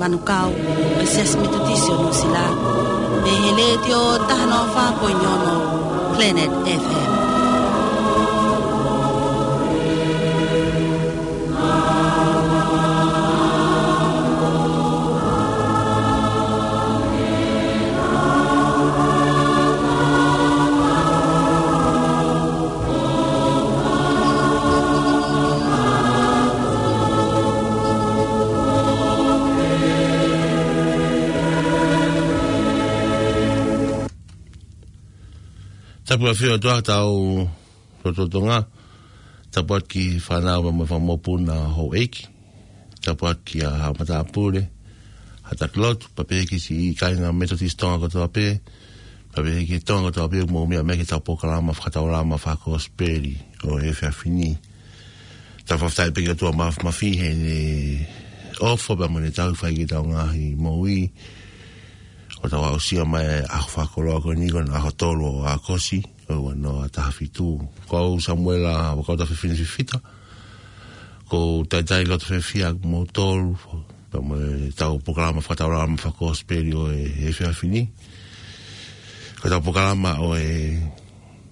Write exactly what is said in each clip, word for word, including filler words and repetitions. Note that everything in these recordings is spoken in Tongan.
Manukau, ʻo e Siasi Metotisi ʻo Nuʻusila, mei he Letiō taha noa fā poini ono Planet F M. Tapu ʻa e ʻOtua ki hotau lotolotonga. Tapu atu ki he fānau mo e fanga mokopuna houʻeiki. Tapu atu ki he haʻa matāpule, haʻa taki lotu, pea pehē ki he siʻi kāinga Metotisi Tonga kotoa pē, pea pehē ki he Tonga kotoa pē, mou meʻa mai ki heʻetau polokalama fakataulama fakakosipeli ʻo e efiafi ni. Tau fakafetaʻi pē ki he ʻOtua Māfimafi heʻene ʻofa pea mo ʻene tauhi fai ki heʻetau ngaahi moʻui. ʻO tau aʻusia mai e ʻaho fakakoloa ko eni, ko hono ʻaho tolu ʻo ʻAokosi, ʻo e ua noa taha fitu. Ko au Samuela Vakauta Fefine Fifita, ʻoku ou talitali loto fiefia ʻa kimoutolu pea mo ʻetau polokalama fakataulama fakakosipeli ʻo e efiafi ni. Ko ʻetau polokalama ʻo e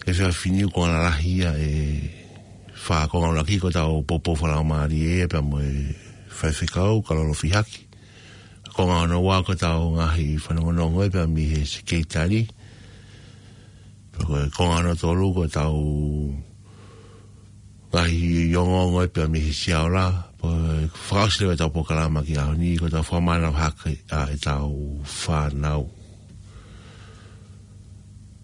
efiafi ni ʻoku konga lahi ia ʻe fā konga ʻuluaki, ko ʻetau poupou fakalaumālie pea mo e faifekau, Kalolo Fihaki. Konga hono ua ko ʻetau ngaahi fanongonongo ia pea mei he sekelitali. Pea ko e konga hono tolu ko ʻetau ngaahi ongoongo ia pea mei he siaola. Pea fakaʻosi leva ʻetau polokalama ki he ʻaho ni, ko ʻetau fakamālō hake ʻa ʻetau fānau.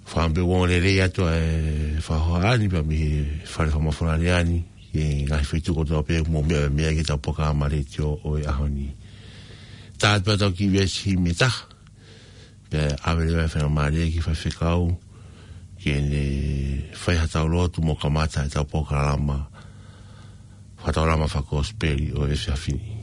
Fakaʻamu pē ʻoku ongo lelei atu ʻa e fakahohaʻa ni pea mei he Fale Fakamafola Lea ni, ki he ngaahi feituʻu kotoa pē ʻoku mou meʻa mai ki heʻetau polokalama letiō ʻo e ʻaho ni. Tā atu pē ʻetau kiʻi veesi himi ʻe taha, pea ʻave leva e faingamālie ki he faifekau, ke ne fai haʻatau lotu mo kamata ʻetau polokalama fakataulama fakakosipeli ʻo e efiafi ni.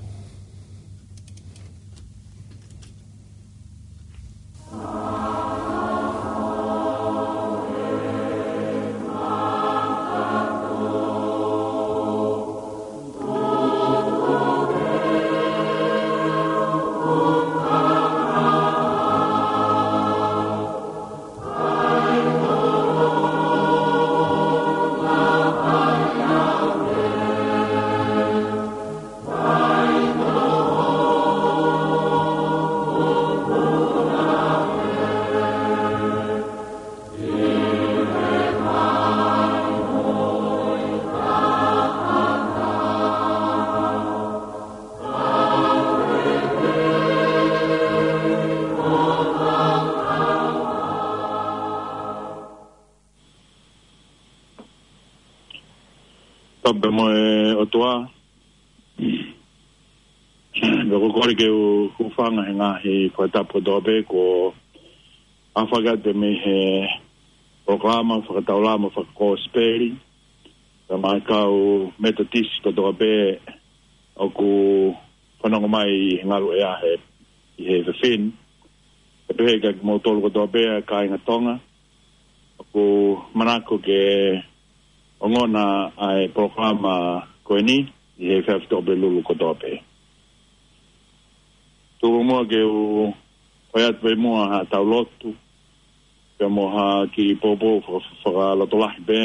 Tapu mo e ʻOtua. Pea ʻoku ou kole ke u hūfanga he ngaahi fakatapu kotoa pē kuo ʻohake atu mei he polokalama fakataulama fakakosipeli, pea mo e kau Metotisi kotoa pē ʻoku fanongo mai ʻi he ngaluʻea he, ʻi he efiafi ni. Pea pehē kia kimoutolu kotoa pē ʻa e kāinga Tonga ʻoku manako ke ongona ʻa e polokalama ko eni ʻi he efiafi Tuʻapulelulu kotoa pē. Tuku muʻa ke u fai atu pē muʻa haʻatau lotu, pea mo ha kiʻi poupou faka-, fakalotolahi pē,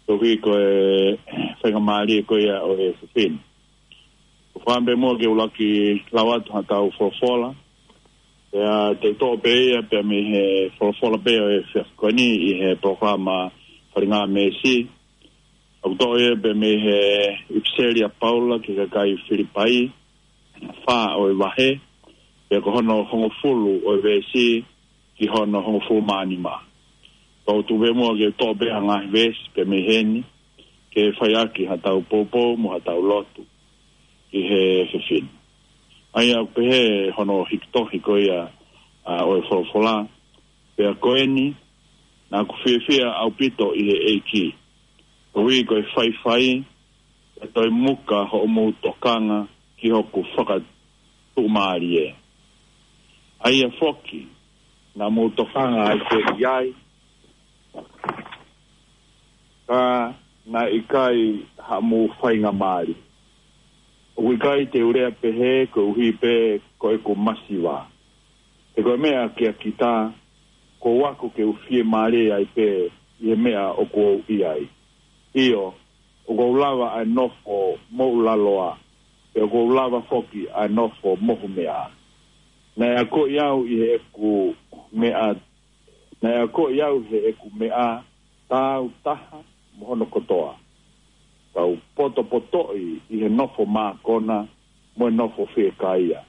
tohi ko e faingamālie ko ia ʻo e efiafi ni. ʻOku ou fakaʻamu pē muʻa ke u ʻuluaki lau atu haʻatau folofola. Pea te u toʻo pē ia pea mei he folofola pē ʻo e efiafi ko eni ʻi he polokalama Falinga Meesi. ʻOku toʻo ia pē mei he ʻipiseli ʻa Paula ki he kakai Filipai, fā ʻo e vahe, pea ko hono hongofulu ʻo e veesi ki hono hongofulu mā nima. Pea ʻoku ou tuku pē muʻa ke u toʻo pē ha ngaahi veesi pē mei heni, ke fai ʻaki haʻatau poupou mo haʻatau lotu ʻi he efiafi ni. ʻA ia ʻoku pehē hono hiki tohi ko ia, ʻa, ʻo e folofola: Pea ko eni, naʻa ku fiefia ʻaupito ʻi he ʻEiki, koeʻuhi ko e faifai, ʻe toe muka hoʻomou tokanga ki hoku fakatuʻumālie. ʻA ia foki, naʻa mou tokanga ai pē ki ai, ka naʻe ʻikai haʻamou faingamālie. ʻOku ʻikai te u lea pehē koeʻuhi pē ko ʻeku masiva. He ko e meʻa kia kita, kuo u ako ke u fiemālie ai pē ʻi he meʻa ʻoku ou ʻi ai. ʻIo, ʻoku ou lava ʻa e nofo moʻulaloa, pea ʻoku ou lava foki ʻa e nofo mohumeʻa. Naʻe akoʻi au ʻi heʻeku meʻa, naʻe akoʻi au heʻeku meʻa tāutaha mo hono kotoa. Tau potopotoʻi ʻi he nofo mākona, mo e nofo fiekaia,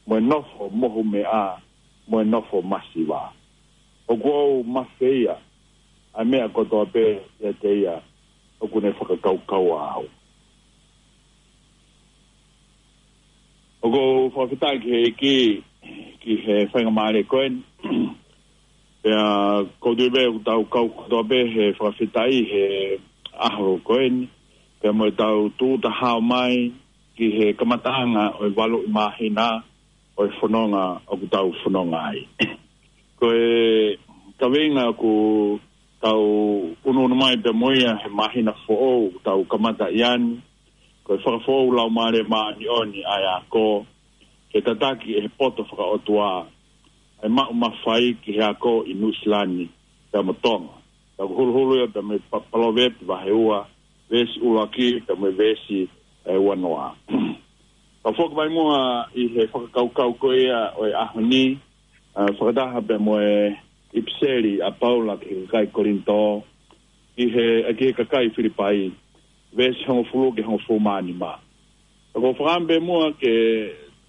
mo e nofo mohumeʻa, mo e nofo masiva. ʻOku ou mafeia ʻa e meʻa kotoa pē ʻiate ia ʻoku ne fakakaukau au. ʻOku ou fakafetaʻi ki he ʻEiki, ki he faingamālie ko eni. Pea ʻoku ou tui pē ʻoku tau kau kotoa pē he fakafetaʻi he ʻaho ko eni. Pea mo ʻetau tūʻuta hao mai ki he kamataʻanga ʻo e valuʻi māhina ʻo e fononga ʻoku tau fononga ai. Ko e kaveinga ʻoku tau ʻunuʻunu mai pea mo ia he māhina foʻou ʻoku tau kamata ʻi ai ni, ko e fakafoʻou Laumālie Māʻoniʻoni ʻa e ako, ke tataki ʻe he poto fakaʻotua ʻa e maʻu mafai ki he ako ʻi Nuʻusila ni pea mo Tonga. Tau huluhulu ia pea mei he Pa-, Palovepi vahe ua, veesi ʻuluaki pea mei he veesi ʻe uanoa. Tau foki mai muʻa ʻi he fakakaukau ko ia ʻo e ʻaho ni, ʻa, fakataha pea mo e ʻipiseli ʻa Paula ki he kakai Kolinitō, ki he, ʻa, ki he kakai Filipai, veesi hongofulu ki he hongofulu mā nima. ʻOku ou fakaʻamu pē muʻa ke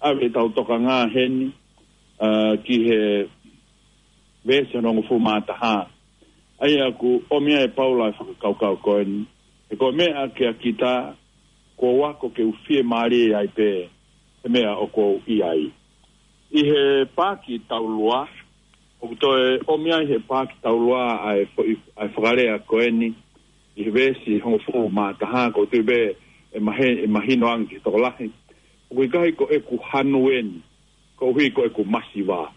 ʻave ʻetau tokanga heni, ʻa, ki he veesi hongofulu mā taha. ʻA ia ʻoku ʻomi ai ʻe Paula e fakakaukau ko eni. He ko e meʻa kia kita, kuo u ako ke u fiemālie ai pē he meʻa ʻoku ou ʻi ai. ʻI he paaki taulua, ʻoku toe ʻomi ai he paaki taulua ʻa e foʻi, ʻa e fakalea ko eni, ʻi he veesi hongofulu mā taha, ʻoku ou tui pē ʻe mahe-, ʻe mahino ange ki he tokolahi. ʻOku ʻikai ko ʻeku hanu eni, koeʻuhi ko ʻeku masiva.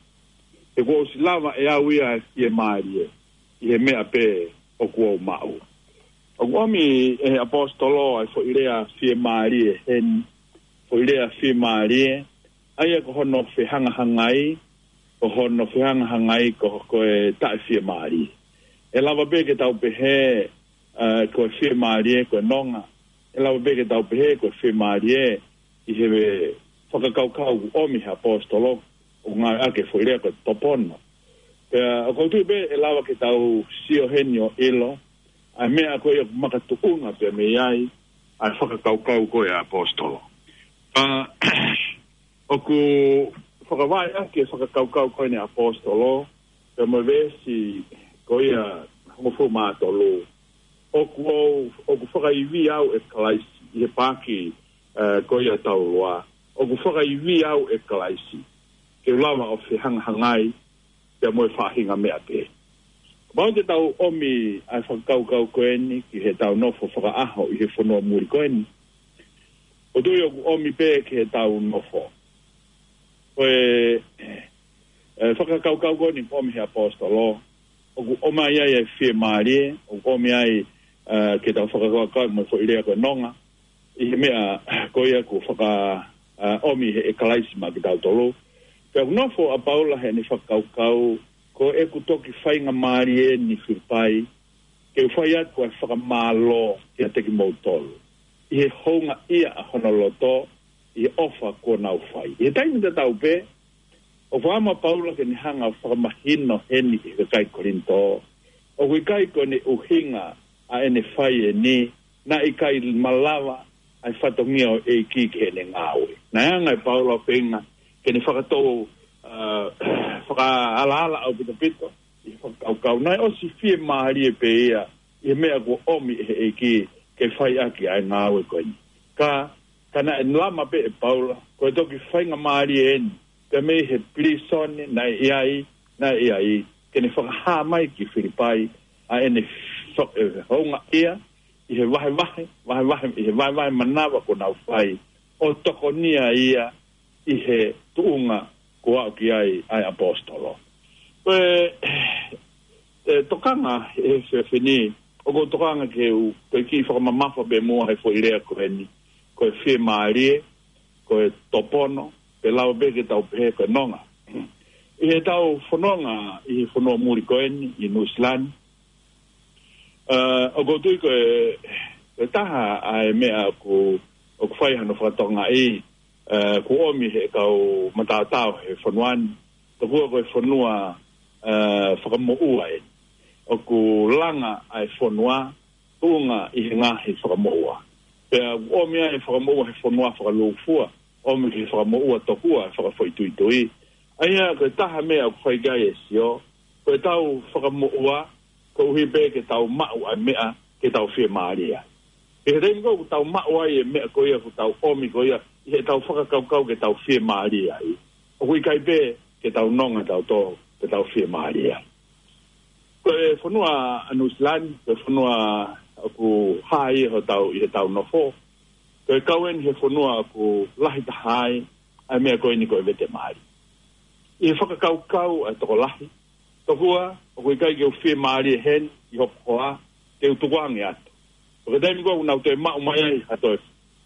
He kuo ʻosi lava ʻe au ia ʻa e fiemālie ʻi he meʻa pē ʻoku ou maʻu. ʻOku ʻomi ʻe he ʻaposetolo ʻa e foʻi lea fiemālie heni, foʻi lea fiemālie, ʻa ia ko hono fehangahangai, ko hono fehangahangai ko, ko e taʻefiemālie. ʻE lava pē ke tau pehē, ʻa, ko e fiemālie ko e nonga. ʻE lava pē ke tau pehē ko e fiemālie ʻi he fakakaukau ʻoku ʻomi he ʻaposetolo, ʻoku ngāueʻaki e foʻi lea ko e topono. Pea ʻoku ou tui pē ʻe lava ke tau sio heni ʻo ʻilo ʻa e meʻa ko ia ʻoku makatuʻunga pea mei ai ʻa e fakakaukau ko ia ʻa e ʻaposetolo. ʻA, ʻoku fakavaʻe ʻaki e fakakaukau ko eni ʻa e ʻaposetolo, pea mo e veesi ko ia hongofulu mā tolu. ʻOku ou, ʻoku fakaivia au ʻe Kalaisi, ʻi he paaki, ʻa, ko ia taulua. ʻOku fakaivia au ʻe Kalaisi, ke u lava ʻo fehangahangai pea mo e faʻahinga meʻa pē. Kapau te tau ʻomi ʻa e fakakaukau ko eni ki heʻetau nofo fakaʻaho ʻi he fonua muli ko eni, ʻoku ou tui ʻoku ʻomi pē ki heʻetau nofo. Ko e, e fakakaukau ko eni ʻoku ʻomi he ʻaposetolo, ʻoku ʻomai ai e fiemālie, ʻoku ʻomi ai, ʻa, ke tau fakakaukau mo e foʻi lea ko e nonga, ʻi he meʻa ko ia ʻoku faka-, ʻa, ʻomi he, ʻe Kalaisi maʻa kitautolu. Pea ʻoku nofo ʻa Paula heʻene fakakaukau, ko ʻeku toki faingamālie eni Filipai, ke u fai atu ʻa e fakamālō kiate kimoutolu ʻi he houngaʻia ʻa hono loto, ʻi he ʻofa kuo nau fai. ʻI he taimi tatau pē, ʻoku fakaʻamu ʻa Paula ke ne hanga ʻo fakamahino heni ki he kakai Kolinitō, ʻoku ʻikai ko ʻene ʻuhinga ʻa ʻene fai eni, naʻe ʻikai malava ʻa e fatongia ʻo e ʻEiki ki heʻene ngāue. Naʻe hanga ʻe Paula ʻo feinga ke ne fakatou, ʻa, fakaalaala ʻaupitopito ʻi he fakakaukau naʻe ʻosi fiemālie pē ia ʻi he meʻa kuo ʻomi ʻe he ʻEiki ke fai ʻaki ʻa e ngāue ko eni. Ka, ka naʻe lama pē ʻe Paula, ko e toki faingamālie eni, pea mei he pilīsone naʻe ʻi ai, naʻe ʻi ai, ke ne fakahā mai ki Filipai ʻa ʻene fa-, e, houngaʻia ʻi he vahevahe, vahevahe, ʻi he vahevahe manava kuo nau fai, ʻo tokonia ia ʻi he tuʻunga kuo aʻu ki ai ʻa e ʻaposetolo. Ko e, e tokanga he efiafi ni, ʻoku ou tokanga ke u, ke u kiʻi fakamamafa pē muʻa he foʻi lea ko eni, ko e fiemālie, ko e topono, pe lava pē ke tau pehē ko e nonga. ʻI heʻetau fononga ʻi he fonua muli ko eni, ʻi Nuʻusila ni, ʻa, ʻoku ou tui ko e, ko e taha ʻa e meʻa ʻoku, ʻoku fai hano fakatokangaʻi, ʻa, ʻoku ʻomi he kau mataotao he fonua ni. Tokua ko e fonua, ʻa, fakamoʻua eni. ʻOku langa ʻa e fonua, tuʻunga ʻi he ngaahi fakamoʻua. Pea ʻomi ʻa e fakamoʻua he fonua fakalūkufua, ʻomi he fakamoʻua tokua, fakafoʻituitui. ʻA ia ko e taha meʻa ʻoku fai ki ai e sio, ko ʻetau fakamoʻua, koeʻuhi pē ke tau maʻu ʻa e meʻa, ke tau fiemālie ai. ʻI he taimi ko ē ʻoku tau maʻu ai e meʻa ko ia, ʻoku tau ʻomi ko ia, ʻi heʻetau fakakaukau ke tau fiemālie ai, ʻoku ʻikai pē ke tau nonga tautolu, ke tau fiemālie ai. Ko e fonua ʻa Nuʻusila ni, ko e fonua ʻoku hā ia hotau, ʻi heʻetau nofo. Ko e kau eni he fonua ʻoku lahi taha ai ʻa e meʻa ko eni ko e vete mali. ʻI he fakakaukau ʻa e tokolahi, tokua, ʻoku ʻikai ke u fiemālie heni ʻi hoku hoa, ke u tukuange atu. Ko e taimi ko ē ʻoku nau toe maʻu mai ai ha toe,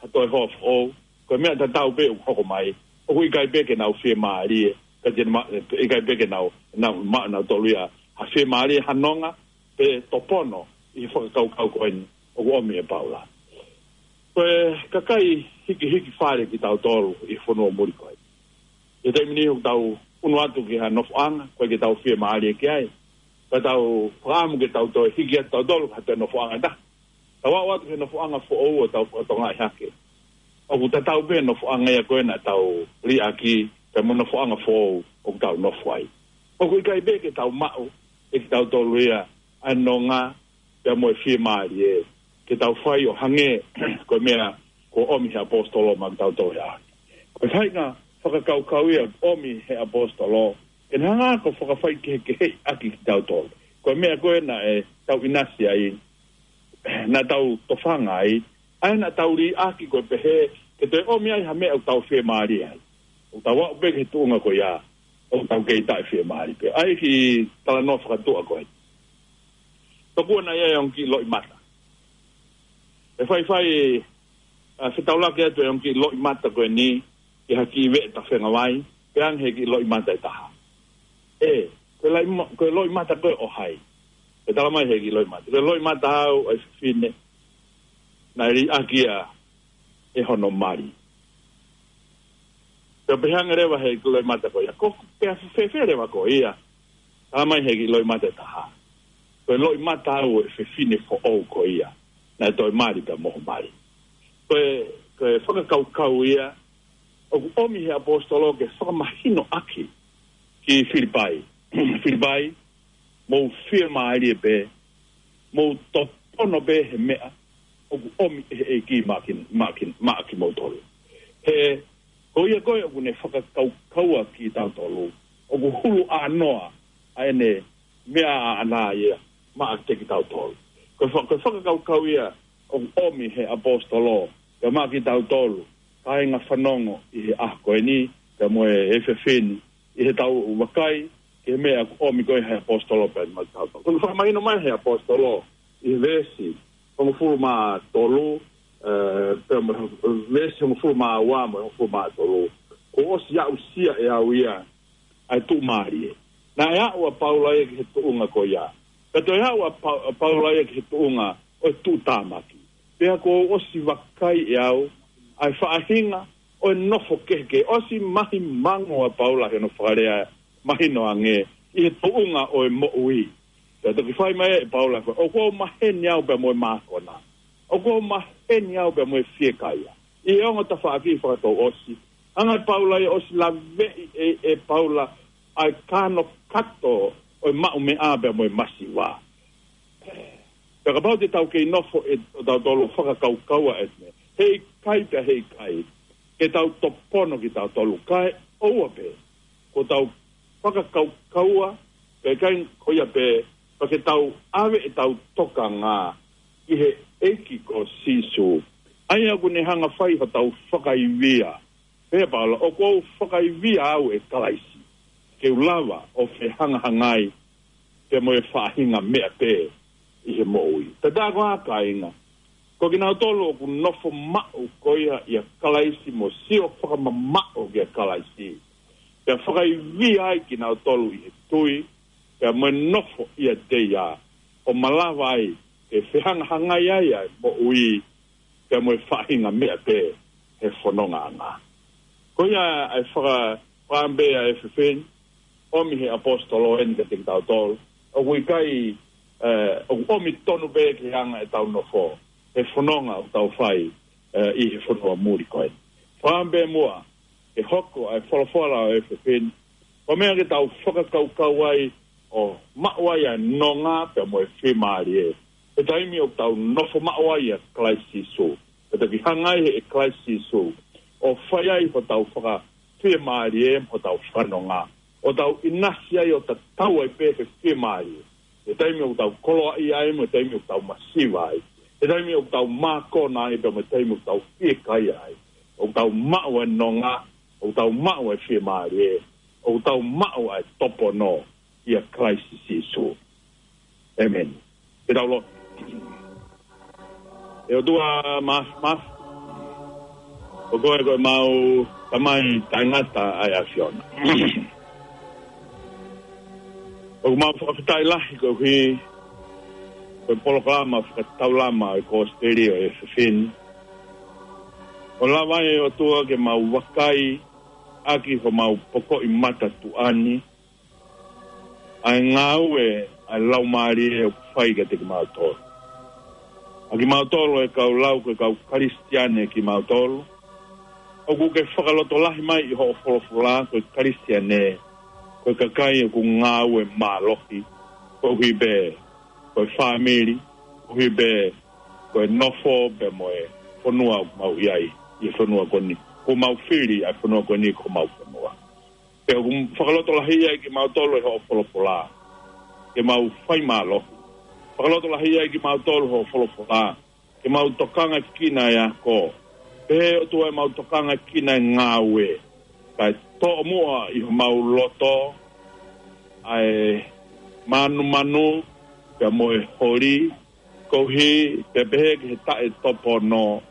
ha toe hoa foʻou, ko e meʻa tatau pē ʻoku hoko mai, ʻoku ʻikai pē ke nau fiemālie, ka te ma-, ʻikai pē ke nau, nau, ma-, nautolu ia ha fiemālie, ha nonga, pe topono ʻi he fakakaukau ko eni ʻoku ʻomi ʻe Paula. Ko e kakai hikihiki fale kitautolu ʻi he fonua muli ko eni. ʻI he taimi ni ʻoku tau unu atu ki ha nofoʻanga, ʻoku ʻikai ke tau fiemālie ki ai. Ka tau fakaʻamu ke tau toe hiki atu tautolu ki ha toe nofoʻanga ʻe taha. Tau aʻu atu ki he nofoʻanga foʻou ʻo tau fakatokangaʻi hake, ʻoku tatau pē nofoʻanga ia ko ē naʻa tau liʻaki, pea mo e nofoʻanga foʻou ʻoku tau nofo ai. ʻOku ʻikai pē ke tau maʻu ʻe kitautolu ia ʻa e nonga, pea mo e fiemālie, ke tau fai ʻo hangē ko e meʻa kuo ʻomi he ʻaposetolo maʻa kitautolu he ʻaho ni. Ko e faʻahinga fakakaukau ia ʻomi he ʻaposetolo, ke ne hanga ʻo fakafaikehekeheʻi ʻaki kitautolu. Ko e meʻa ko ē naʻe tau ʻinasi ai, naʻa tau tofanga ai, ʻa ia naʻa tau liʻaki ko e pehē, ke toe ʻomi ai ha meʻa ʻoku tau fiemālie ai. ʻOku tau aʻu pē ki he tuʻunga ko ia, ʻoku tau kei taʻefiemālie pē. ʻA ia ki he talanoa fakatuʻa ko ē. Tokua naʻe ʻi ai e ongo kiʻi loʻimata. ʻE faifai, ʻa, fetaulaki atu e ongo kiʻi loʻimata ko eni, ki ha kiʻi veʻe tafengavai, pea ange he kiʻi loʻimata ʻe taha. ʻE, ko e laʻi ma-, ko e loʻimata ko ē ʻo hai? ʻE talamai he kiʻi loʻimata, ko e loʻimata au ʻa e fefine naʻe liʻaki ia ʻe hono mali. Pea pehē ange leva he kiʻi loʻimata ko ia, ko, pea fēfē leva ko ia? Talamai he kiʻi loʻimata ʻe taha, ko e loʻimata au ʻa e fefine foʻou ko ia naʻe toe mali pea mo ho mali. Ko e, ko e fakakaukau ia ʻoku ʻomi he ʻaposetolo ke fakamahino ʻaki ki Filipai. Filipai, mou fiemālie pē, mou topono pē he meʻa ʻoku ʻomi ʻe he ʻEiki maʻa ki-, maʻa ki-, maʻa kimoutolu. He ko ia ko ē ʻoku ne fakakaukaua kitautolu, ʻoku hulu ʻānoa ʻa ʻene meʻa ʻaʻana ia maʻa kitautolu. Ko e fa-, ko e fakakaukau ia ʻoku ʻomi he ʻaposetolo ia maʻa kitautolu, kāinga fanongo ʻi he ʻaho ko eni, pea mo e efiafi ni, ʻi heʻetau vakai ki he meʻa ʻoku ʻomi ko ē he ʻaposetolo pea maʻa kitautolu. Ko e fakamahino mai he ʻaposetolo ʻi he veesi hongofulu mā tolu, ʻe, pea mo e veesi hongofulu mā ua mo e hongofulu mā tolu, kuo ʻosi aʻusia ʻe au ia ʻa e tuʻumālie. Naʻe aʻu ʻa Paula ia ki he tuʻunga ko ia. Pea toe aʻu ʻa Pa-, ʻa Paula ia ki he tuʻunga ʻo e tuʻutāmaki. Pea kuo ʻosi vakai ʻe au ʻa e faʻahinga ʻo e nofo kehekehe. ʻOsi mahimango ʻa Paula he ʻene fakalea mahino ange ʻi he tuʻunga ʻo e moʻui. Pea toki fai mai ʻe Paula, ʻoku ou maheni au pea mo e mākona. ʻOku ou maheni au pea mo e fiekaia ʻi he ongo tafaʻaki fakatouʻosi. Hanga ʻe Paula ia ʻosi laveʻi ʻe, ʻe Paula ʻa e kānokato ʻo e maʻumeʻa pea mo e masiva. Pea kapau te tau kei nofo ʻe, ʻo tautolu fakakaukaua ʻe he meʻa, heʻikai pea heʻikai ke tau topono kitautolu, kae ʻoua pē kuo tau fakakaukaua, pea ʻikai ko ia pē, pea ke tau ʻave ʻetau tokanga ki he ʻEiki ko Sīsū, ʻa ia ʻoku ne hanga fai hotau fakaivia. Pea Paula, ʻoku ou fakaivia au ʻe Kalaisi, ke u lava ʻo fehangahangai pea mo e faʻahinga meʻa pē ʻi he moʻui. Tatā ko ā kāinga, Ko kinautolu ʻoku nofo maʻu ko ia ʻia Kalaisi mo sio fakamamaʻu kia Kalaisi, pea fakaivia ai kinautolu ʻi he tui, pea mo e nofo ʻiate ia, ʻo malava ai ke fehangahangai ai ʻa e moʻui, pea mo e faʻahinga meʻa pē he fonongaʻanga. Ko ia ʻa e faka-, fakaʻamu pē ʻa e efiafi ni, ʻomi he ʻaposetolo eni kiate kitautolu. ʻOku ʻikai, ē, ʻoku ʻomi tonu pē ki he anga ʻetau nofo he fononga ʻoku tau fai, ē, ʻi he fonua muli ko eni. Fakaʻamu pē muʻa ke hoko ʻa e folofola ʻo e efiafi ni ko e meʻa ke tau fakakaukau ai ʻo maʻu ai ʻa e nonga pea mo e fiemālie he taimi ʻoku tau nofo maʻu ai ʻia Kalaisi Sīsū. Pea toki hanga ai ʻe Kalaisi Sīsū ʻo fai ai hotau fakafiemālie mo hotau fakanonga, ʻo tau ʻinasi ai ʻo tatau ai pē he fiemālie he taimi ʻoku tau koloaʻia ai mo e taimi ʻoku tau masiva ai, he taimi ʻoku tau mākona ai pea mo e taimi ʻoku tau fiekaia ai. ʻOku tau maʻu ʻa e nonga, ʻoku tau maʻu ʻa e fiemālie, ʻoku tau maʻu ʻa e topono ʻia Kalaisi Sīsū. ʻĒmeni. Ke tau lotu. ʻE ʻOtua Māfimafi, ko koe ko ʻemau Tamai taʻengata ʻa e ʻAfiona. ʻOku mau fakafetaʻi lahi koeʻuhi ko e polokalama fakataulama ʻo e Kosipeli ʻo e efiafi ni. ʻO lava ai ʻe ʻOtua ke mau vakai ʻaki homau pokoʻi mata tuʻa ni ʻa e ngāue ʻa e Laumālie ʻoku fai kiate kimautolu. ʻA kimautolu ʻa e kau lau ko e kau Kalisitiane kimautolu, ʻoku ke fakalotolahi mai ʻi hoʻo folofola ko e Kalisitiane ko e kakai ʻoku ngāue mālohi, koeʻuhi pē ko e fāmili, koeʻuhi pē ko e nofo pea mo e fonua ʻoku mau ʻi ai, ʻi he fonua ko eni. ʻOku mau fili ʻa e fonua ko eni ko homau fonua. Pea ʻoku fakalotolahi ai kimautolu ʻe hoʻo folofola ke mau fai mālohi. Fakalotolahi ai kimautolu ʻe hoʻo folofola ke mau tokangaʻi ʻa e ako. Pehē ʻOtua ʻemau tokangaʻi ʻa e ngāue, kae toʻo muʻa ʻi homau loto ʻa e mānumanu pea mo e holi, koeʻuhi pea pehē ki he taʻetopono,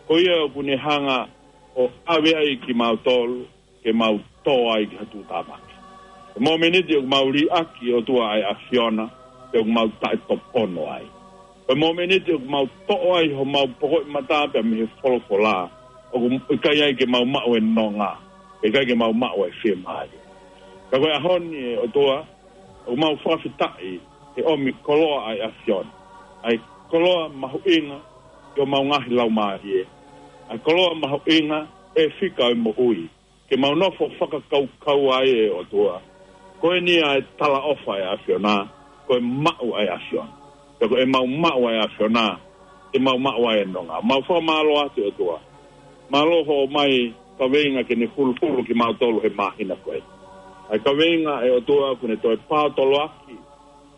ko ia ʻoku ne hanga ʻo ʻave ai kimautolu ke mau tō ai ki ha tuʻutāmaki. Ko e mōmeniti ʻoku mau liʻaki ʻOtua ʻa e ʻAfiona, pea ʻoku mau taʻetopono ai. Ko e mōmeniti ʻoku mau toʻo ai homau pokoʻi mata pea mei he folofola, ʻoku ʻikai ai ke mau maʻu e nonga, ʻikai ke mau maʻu e fiemālie. Ka ko e ʻaho ni ʻe ʻOtua, ʻoku mau fakafetaʻi he ʻomi koloa ʻa e ʻAfiona, ʻa e koloa mahuʻinga ʻi homau ngaahi laumālie, ʻa e koloa mahuʻinga ʻe fika ʻo e moʻui, ke mau nofo fakakaukau ai ʻe ʻOtua, ko eni ʻa e talaʻofa ʻa e ʻAfiona, ko e maʻu ʻa e ʻAfiona. Pea ko ʻemau maʻu ʻa e ʻAfiona, te mau maʻu ai e nonga. Mau fakamālō atu ʻe ʻOtua. Mālō hoʻo ʻomai kaveinga ke ne huluhulu kimautolu he māhina ko ē. ʻA e kaveinga ʻe ʻOtua kuo ne toe pātoloaki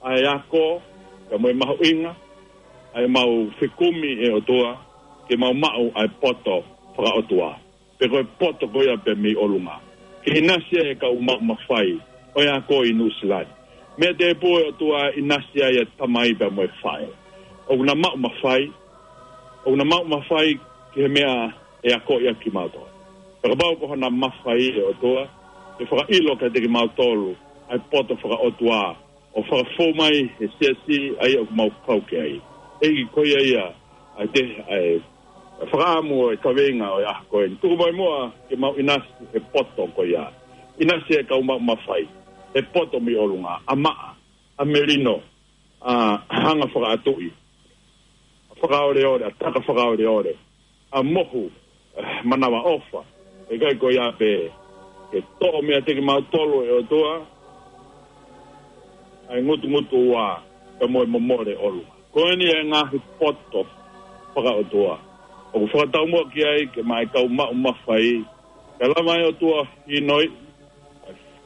ʻa e ako, pea mo e mahuʻinga ʻa ʻemau fekumi ʻe ʻOtua, ke mau maʻu ʻa e poto fakaʻotua. Pe ko e poto ko ia pē mei ʻolunga. Ke ʻinasi ai e kau maʻu mafai ʻo e ako ʻi Nuʻusila ni. Meʻa tēpū ʻe ʻOtua, ʻinasi ai e tamai pea mo e faʻē. ʻOku na maʻu mafai, ʻoku na maʻu mafai ki he meʻa ʻe akoʻi ʻaki kimautolu. Pea kapau ko hona mafai ʻe ʻOtua, ke fakaʻilo kiate kimautolu ʻa e poto fakaʻotua, ʻo fakafou mai he siasi ʻa ia ʻoku mau kau ki ai. ʻEiki, ko ia ia ʻa e te-, ʻa e fakaʻamu ʻo e kaveinga ʻo e ʻaho ko eni. Tuku mai muʻa ke mau ʻinasi he poto ko ia. ʻInasi e kau maʻu mafai he poto mei ʻolunga, ʻa maʻa, ʻa melino, ʻa hanga fakaʻatuʻi, fakaoleole, ʻa taka fakaoleole, ʻa mohu, eh, manavaʻofa. ʻIkai ko ia pē, ke toʻo meiate kimautolu ʻe ʻOtua ʻa e ngutungutu ua, pea mo e momole ʻolunga. Ko eni e ngaahi poto fakaʻotua ʻoku fakataumuʻa ki ai ke maʻa e kau maʻu mafai, ke lava ʻe ʻOtua ʻo ʻinasi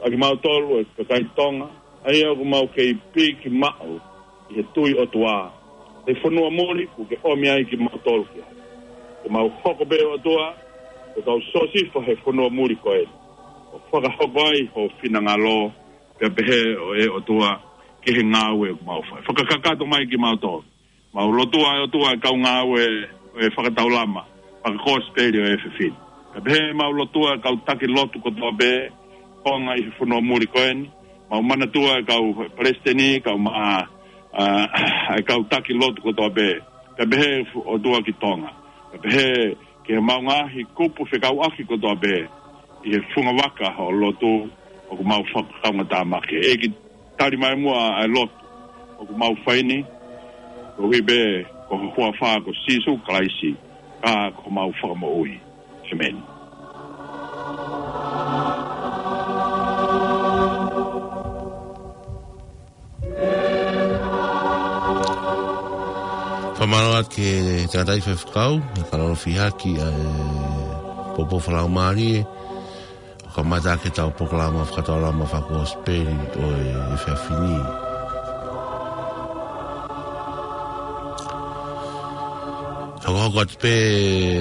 ʻa kimautolu e kakai Tonga, ʻa ia ʻoku mau kei piki maʻu ʻi he tui ʻOtua he fonua muli kuo ke ʻomi ai kimautolu ki ai. Ke mau hoko pē ʻOtua ko e kau Siosefa he fonua muli ko ē, ʻo fakahoko ai ho finangalo, pea pehē ʻe ʻOtua ki he ngāue ʻoku mau fai. Fakakakato mai kimautolu Mau lotua ʻe ʻOtua e kau ngāue ʻo e fakataulama fakakosipeli ʻo e efiafi ni. Kae pehē mau lotua e kau taki lotu kotoa pē, konga ʻi he fonua muli ko eni. Mau manatua e kau palesiteni, kau ma-, ʻa, ʻa e kau taki lotu kotoa pē. Kae pehē ʻOtua ki Tonga. Kae pehē ki he mau ngaahi kupu fekauʻaki kotoa pē ʻi he funga vaka ʻo e lotu ʻoku mau fakakaungātāmaki. ʻEiki, tali mai muʻa ʻa e lotu ʻoku mau fai ni, koeʻuhi pē ko ho huafa ko Sīsū Kalaisi, ka ko homau Fakamoʻui. ʻĒmeni. Fakamālō atu ki he tangataʻeiki faifekau, ʻa e kau lolo fihaki ʻa e poupou fakalaumālie, ʻo kamata ʻaki ʻetau polokalama fakataulama fakakosipeli ʻo e efiafi ni. Hokohoko atu pē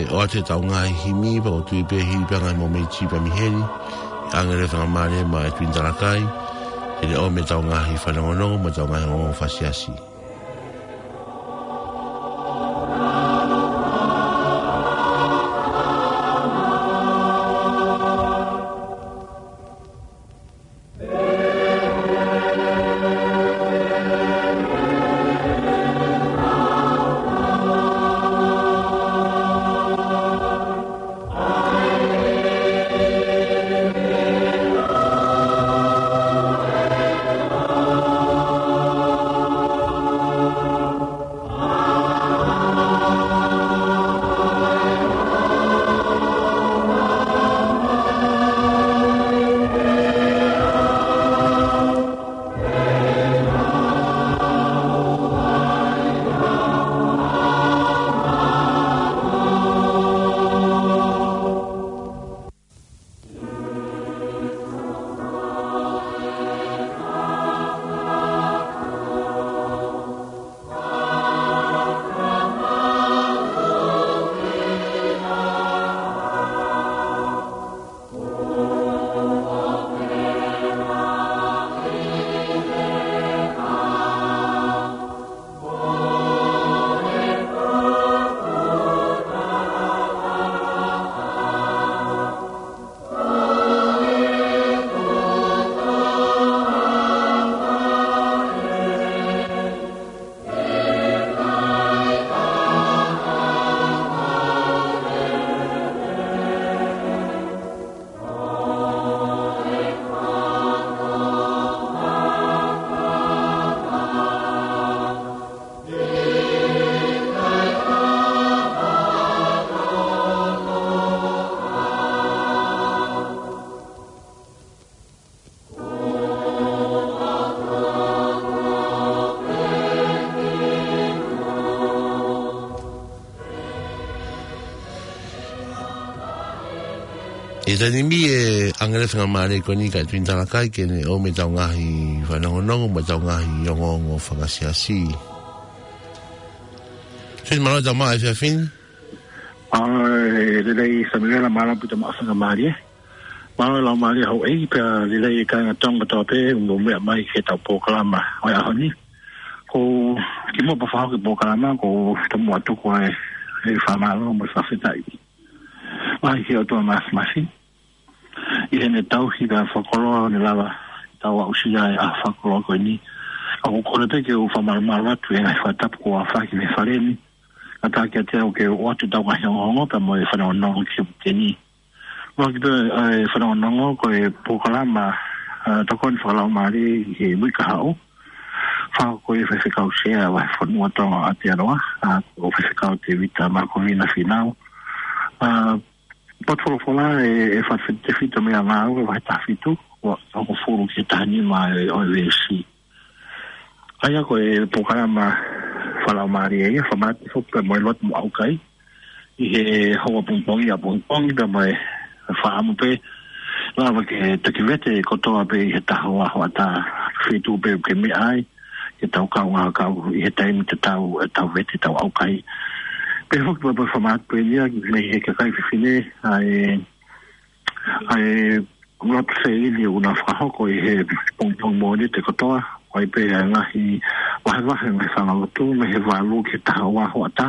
ʻo ʻoatu ʻetau ngaahi himi, pea ʻoku ou tui pē hili pē ʻa e ngaahi mōmeniti pē mei heni, ʻāngele fakamālie maʻa e Tuʻi Talakai, ke ne ʻomi ʻetau ngaahi fanongonongo, mo ʻetau ngaahi ongoongo fakasiasi. ʻI he taimi ni, ʻāngele fakamālie ko eni ki he Tuʻi Talakai ke ne ʻomi ʻetau ngaahi fanongonongo mo ʻetau ngaahi ongoongo fakasiasi. Tuʻi, mālō e tau maʻu e efiafi ni. ʻA, ʻe lelei Samiuela, mālō pē e tau maʻu fakamālie. Mālō e laumālie houʻeiki pea lelei e kāinga Tonga kotoa pē ʻoku mou meʻa mai ki heʻetau polokalama ʻo e ʻaho ni. Ko kimuʻa pea fakahoko e polokalama, ʻoku ou tomuʻa tuku ʻa e fakamālō mo e fakafetaʻi mai ki he ʻOtua Māfimafi ʻi heʻene tauhi pea fakakoloa ʻo ne lava ke tau aʻusia e ʻaho fakakoloa ko eni. ʻOku ou kole pē ke u fakamalumalu atu he ngaahi fakatapu kuo aofaki mei he fale ni. Kātaki kiate au ke u ʻoatu ʻetau ngaahi ongoongo pea mo e fanongonongo ki he uike ni. Mahalo pē, ʻa e fanongonongo ko e polokalama, ʻa, tokoni fakalaumālie ʻi he uike kahaʻu. Fakahoko ʻe he faifekau sea ʻo e Vahefonua Tonga ʻo Aotearoa, ʻa, ko Faifekau Tēvita Makovina Fīnau. ʻA, potu folofola ʻe, ʻe fakatefito mei he Ngāue vahe taha fitu, ua, hongofulu ki he taha nima ʻo e, ʻo e veesi. ʻA ia ko e polokalama fakalaumālie ia, fakamanatu foki pea mo e lotu mo e ʻaukai ʻi he houa pongipongi ʻapongipongi pea mo e fakaʻamu pē lava ke toki vete kotoa pē ʻi he taha hoʻatā feituʻu pē ke meʻa ai, ke tau kaungā kau ʻi he taimi tatau ʻetau vete, ʻetau ʻaukai. Pea foki pea mo e fakamanatu pē ia mei he kakai fefine ʻa e ʻa e lotu sēili ʻoku na fakahoko ʻi he pongipongi Mōnite kotoa, ʻo ʻai pē ʻa e ngaahi vahevahe e ngaahi faiʻanga lotu mei he valu ki he taha ua hoʻatā.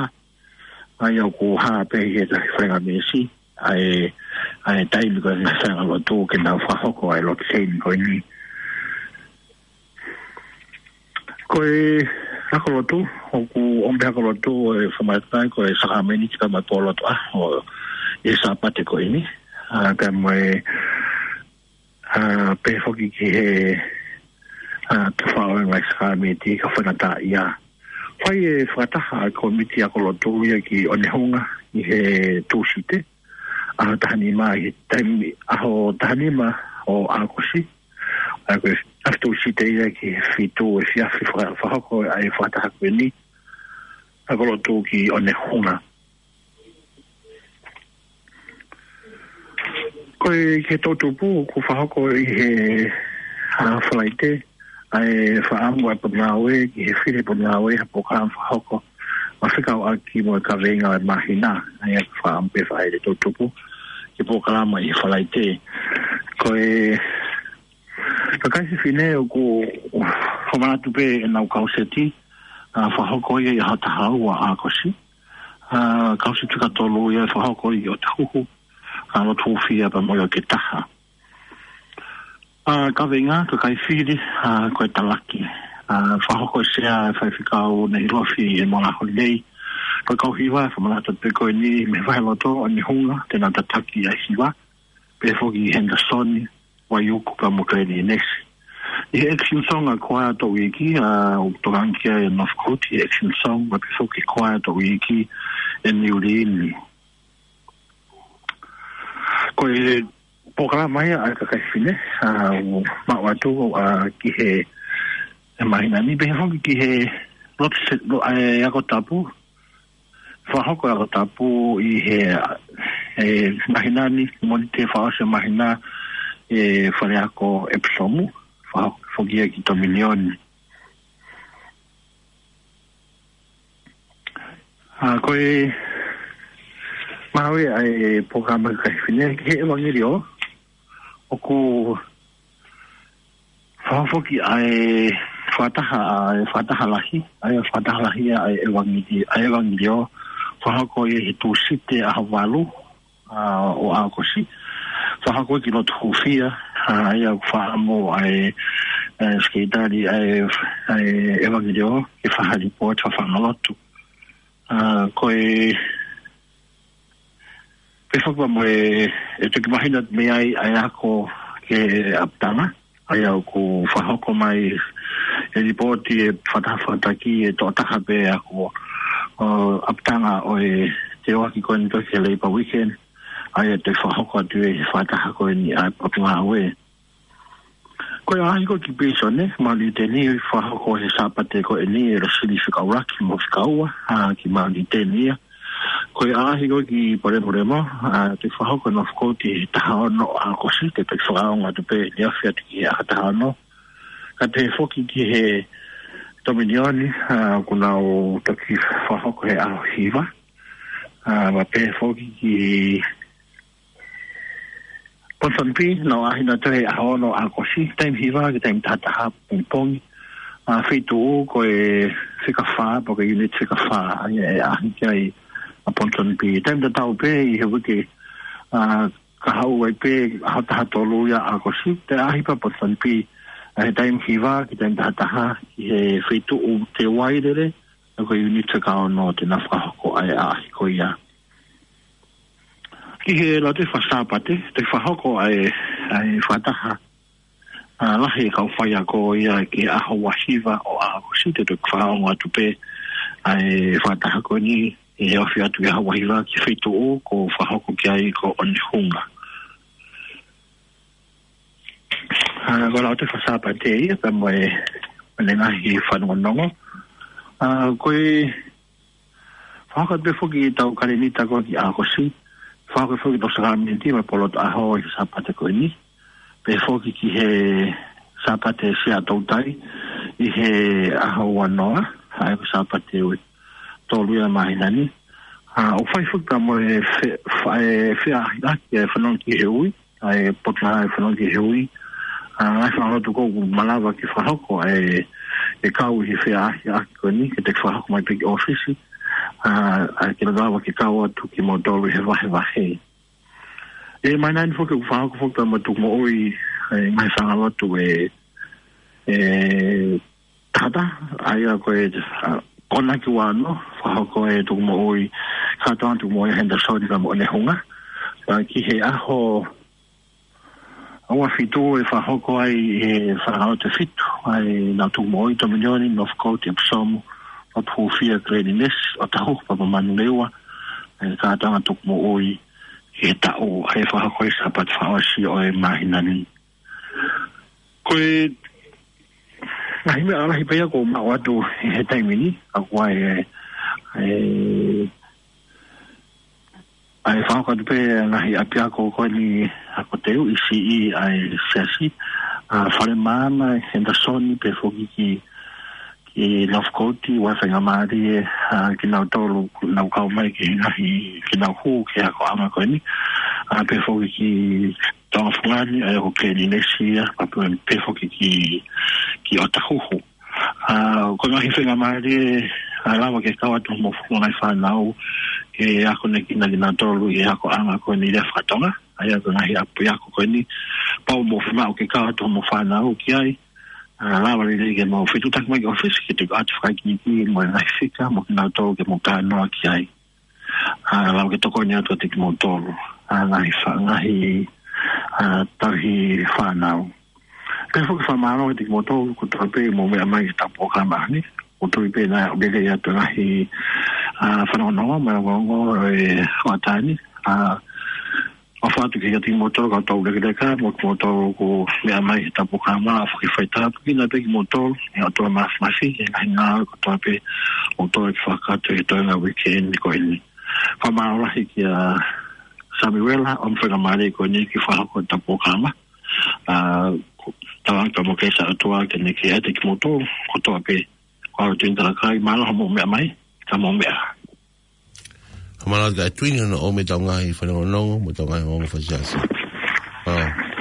ʻA ia ʻoku hā pē ʻi he ngaahi faingamālie ʻa e, ʻa e taimi ko e ngaahi faiʻanga lotu ke nau fakahoko ʻa e lotu teini ko eni. Ko e ako lotu, ʻoku ʻomi pē ako lotu ʻo e fakamatala ko e sākalamēniti kae ʻumaʻā e pō lotu ʻaho ʻi he Sāpate ko eni. ʻA, pea mo e, ʻa, pehē foki ki he, ʻa, tau faʻo e ngaahi sākalamēniti kae faingataʻaʻia. Fai e fakataha ʻa e kōmiti ako lotu ia ki ʻOnehunga ʻi he Tūsite, ʻaho taha nima ʻi he taimi, ʻaho taha nima ʻo ʻAokosi. ʻA ia ko e efiafi Tūsite ia ki he fitu efiafi faka-, fakahoko ʻa e fakataha ko eni ako lotu ki ʻOnehunga. Ko e ki he toʻutupu ʻoku fakahoko ʻi he, ʻa, Falaite, ʻa e fakaʻamu ʻa e potungāue, ki he fili potungāue, ha polokalama fakahoko, ʻo fekauʻaki mo e kaveinga ʻo e māhina, ʻa ia ʻoku fakaʻamu pē fai e toʻutupu, ki he polokalama ʻi he Falaite. Ko e kakai fefine ʻoku fakamanatu pē ʻenau kauseti, ʻa, fakahoko ia ʻi he ʻaho taha ua ʻAokosi. ʻA, kauseti fika tolu ia fakahoko ʻi ʻOtahuhu, ʻa, lotu hūfia pea mo e ʻOketopa. ʻA, kaveinga, kakai fili, ʻa, ko e talaki. ʻA, fakahoko ʻe Sea Faifekau Nehilofi ʻEmola Holilei. Ko e kau hiva, fakamanatu pē ko eni mei he vaheloto ʻOnehunga, te nau tataki ʻa e hiva. Pehē foki Henderson, Waiuku pea mo Glenn Inesi. ʻI he Action Song ʻa e Choir Toʻu Iiki, ʻa, ʻoku tokanga ki ai ʻa Northcote, ʻi he Action Song, pea pehē foki Choir Toʻu Iiki ʻa e New Lynn. Ko e polokalama ia ʻa e kakai fefine, ʻa, ʻoku maʻu atu, ʻa, ki he, he māhina ni, pehē foki ki he lotu se-, lo-, ʻa e ako tapu, fakahoko e ako tapu ʻi he, he māhina ni, Mōnite fakaʻosi e māhina, ʻi he faleako ʻEpisomu, fakahoko foki ia ki Tominioni. ʻA, ko e maʻu ia ʻa e polokalama kakai fefine ki he ʻevangeliō, ʻoku fakahoko foki ʻa e fakataha, ʻa e fakataha lahi, ʻa e fakataha lahi ʻa e ʻevangeli-, ʻa e ʻevangeliō, fakahoko ʻi he Tūsite ʻaho valu, ʻa, ʻo ʻAokosi. Fakahoko ki lotu hūfia, ʻa, ʻa ia ʻoku fakaʻamu ʻa e, ʻa e sekelitali ʻa e, ʻa e ʻevangeliō, ke fai ha lipooti fakafaʻahinga lotu. ʻA, ko e pehē foki pea mo e, ʻe toki mahino mei ai ʻa e ako ki he ʻapitanga, ʻa ia ʻoku fakahoko mai e lipooti ʻe he fakataha fakataha ʻe tokotaha pē ako, ʻo, ʻapitanga ʻo e teoaki ko eni toki he Labour Weekend, ʻa ia ʻe fakahoko atu ʻi he fakataha ko eni ʻa e potungāue. Ko e ʻaʻahi ko ē ki Pīsone, Maʻuli ʻIuteni, fakahoko he Sāpate ko eni ʻe Losili Fikaʻulaki mo Fikaua, ʻa, ki Maʻuli ʻIuteni ia. Ko e ʻaʻahi ko ē ki Polemolemoa, ʻa, te fakahoko ʻe Northcote he taha ono ʻAokosi, te toki fakaongo atu pē ʻi he afiafi atu ki he ʻaho taha ono. Kae pehē foki ki he Tominioni, ʻa, ʻoku nau toki fakahoko he ʻaho hiva. ʻA, pea pehē foki ki Ponsonby, nau ʻaʻahi atu he ʻaho ono ʻAokosi, taimi hiva ki he taimi taha taha pongipongi. ʻA, feituʻu ko e fika fā, pe ko e unit fika fā, ʻa ia ʻe ʻaʻahi ki ai ʻa Ponsonby. Taimi tatau pē ʻi he uike, ʻa, kahaʻu ai pē ʻaho taha tolu ia ʻAokosi, te ʻaʻahi pē ʻa Ponsonby, ʻa, he taimi hiva ki he taimi taha taha, ʻi he feituʻu Te Uailele, ʻa ko e unit fika ono te nau fakahoko ʻa e ʻaʻahi ko ia. Ki he Lautohi Faka-Sāpate, te fakahoko ʻa e, ʻa e fakataha, ʻa, lahi e kau faiako ia ki he ʻaho ua hiva ʻo ʻAokosi, te toki fakaongo atu pē ʻa e fakataha ko eni ʻi he afiafi atu ki he ʻaho ua hiva ki he feituʻu ʻoku fakahoko ki ai ko ʻOnehunga. ʻA, ko e Lautohi Faka-Sāpate ia, pea mo e, mo e ngaahi fanongonongo. ʻA, ko e fakahoko pē foki ʻetau kalēnita ko ē ki ʻAokosi. Fakahoko foki ʻetau sākalamēniti mo e pō lotu ʻaho ʻi he Sāpate ko eni. Pehē foki ki he Sāpate Sea Toutai ʻi he ʻaho ua noa, ʻa ia ko e Sāpate ʻe tolu ia māhina ni. ʻA, ʻoku fai foki pea mo e fe-, fa-, e feʻaʻahiʻaki e fanongo ki he ui, ʻa e potungāue fanongo ki he ui. ʻA, ngaahi fanga lotu ko ē ʻoku malava ke fakahoko ʻa e ke kau ʻi he feaʻahiʻaki ko eni, ke te fakahoko mai pē ki ʻōfisi, ʻa, ʻa, ke lava ke kau atu kimoutolu he vahevahe. ʻE, mai nani foki ʻoku fakahoko foki pea mo e tukumoʻui, ʻe, mai fanga lotu ʻe, ʻe, tata, ʻa ia ko e, ʻa, konaki ua noa, fakahoko ʻe tukumoʻui, kātoanga tukumoʻui Henderson pea mo ʻEne Hunga. Pea ki he ʻaho, ʻaho fitu ʻe fakahoko ai ʻe he fanga lotu ʻe fitu, ʻa ʻenau tukumoʻui Dominion, Northcote, Epsom, Lotu Hūfia, Glen Innes, ʻOtahuhu pea mo Manurewa, ʻa e kātoanga tukumoʻui ki he taʻu, ʻa e fakahoko ʻi he Sāpate fakaʻosi ʻo e māhina ni. Ko e ngaahi meʻa lalahi pē ia ʻoku ou maʻu atu ʻi he taimi ni, ʻa ko e, ʻa e, ʻa e fakahoko atu pē ngaahi ʻapiako ko eni ʻa ko Teu ʻi siʻi ʻa e siasi, ʻa Fale Maama, Henderson pea foki ki, ki Northcote, ʻoku ou faingamālie, ʻa, kinautolu, nau kau mai ki he ngaahi, ke nau hū ki he akoʻanga ko eni, ʻa, pea foki ki Tonga Fungani, ʻa ia ko Glen Innes ia, pea pe-, pea foki ki, ki ʻOtahuhu. ʻA, ko e ngaahi faingamālie, ʻa, lava ke kau atu mo e ngaahi fānau, ke akonekina kinautolu ʻi he akoʻanga ko eni lea faka-Tonga, ʻa ia ko e ngaahi ʻapiako ko eni, pau mo e fiemaʻu ke kau atu mo e fānau ki ai, ʻa, lava lelei ke mau fetuʻutaki mai ki ʻōfisi, ke tuku atu fakaikiiki mo e ngaahi fika, mo kinautolu ke mau talanoa ki ai. ʻA, lava ke tokoni atu kiate kimoutolu. ʻA, ngaahi fa-, ngaahi, ʻa, tauhi fānau. Pea foki fakamālō kiate kimoutolu kotoa pē ʻoku mou meʻa mai ki he polokalama ni. ʻOku ou tui pē naʻe lelei atu ngaahi, ʻa, fanongonongo, mo e ongoongo ʻo e hoʻatā ni. ʻA, ʻofa atu kiate kimoutolu kau tau lekeleka, mo kimoutolu ʻoku meʻa mai ki he polokalama, ʻa, foki faitā, pea ki he ʻOtua pē kimoutolu, ʻe ʻOtua Māfimafi, ʻi he ngaahi ngāue kotoa pē ʻoku tau fakakakato ʻi he toenga weekend ko eni. Fakamālō lahi kia Samuela, ʻoku faingamālie ko eni ke fakahoko e polokalama. ʻA, ko, tau ʻofa mo e keisi ʻa e ʻOtua ke ne kei ʻiate kimoutolu kotoa pē. Ko au Tuini Talakai, mālō hoʻomou meʻa mai, ka mou meʻa. Fakamālō kia Tuini hono ʻomai ʻetau ngaahi fanongonongo, mo ʻetau ngaahi ongoongo fakasiasi. ʻA.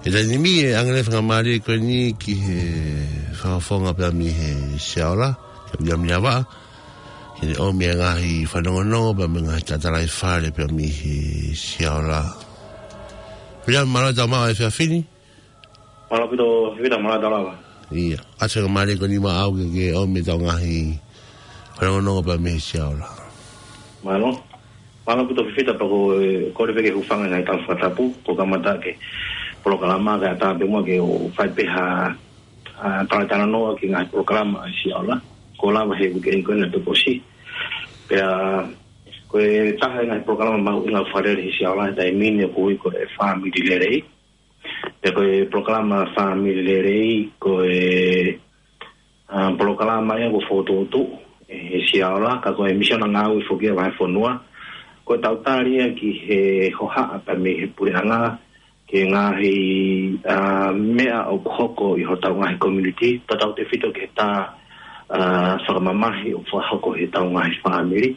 He taimi ni ʻe ʻange ʻa e fakamālō ko eni ki he fakafofonga pea mei he Sea Ola, kia Viliami Lavaʻa. Ke ne ʻomi e ngaahi fanongonongo pea mo e ngaahi tatalaifale pea mei he Siaola. Pea mālō e tau maʻu e efiafi ni. Mālō ʻaupito, Fifita, mālō e tau lava. Ia, ʻoatu e faingamālie ko eni maʻau ke, ke ʻomi e tau ngaahi fanongonongo pea mei he Siaola. Mālō. Mālō ʻaupito Fifita, pea ko e, kole pē ke hūfanga he ngaahi tala fakatapu, ko e kamata ʻaki e polokalama kae ʻatā pē muʻa ke u fai pē ha, ha talatalanoa ki he ngaahi polokalama ʻa e Siaola. Kuo lava he uike ko eni naʻe toki ʻosi. Pea ko e taha e ngaahi polokalama mahuʻinga ʻoku fakalele he Siaola he taimi ni ʻoku ui ko e Fāmili Lelei. Pea ko e polokalama Fāmili Lelei, ko e, ʻa, polokalama ia kuo fokotuʻutuʻu ʻe he Siaola, ka ko e misiona ngāue foki ia ʻa e vahefonua. Ko e tau tali ia ki he hohaʻa pea mei he puleʻanga, ki he ngaahi, ʻa, meʻa ʻoku hoko ʻi hotau ngaahi community, tautautefito ki he tā, ʻa, fakamamahi ʻoku fakahoko ʻe hotau ngaahi fāmili.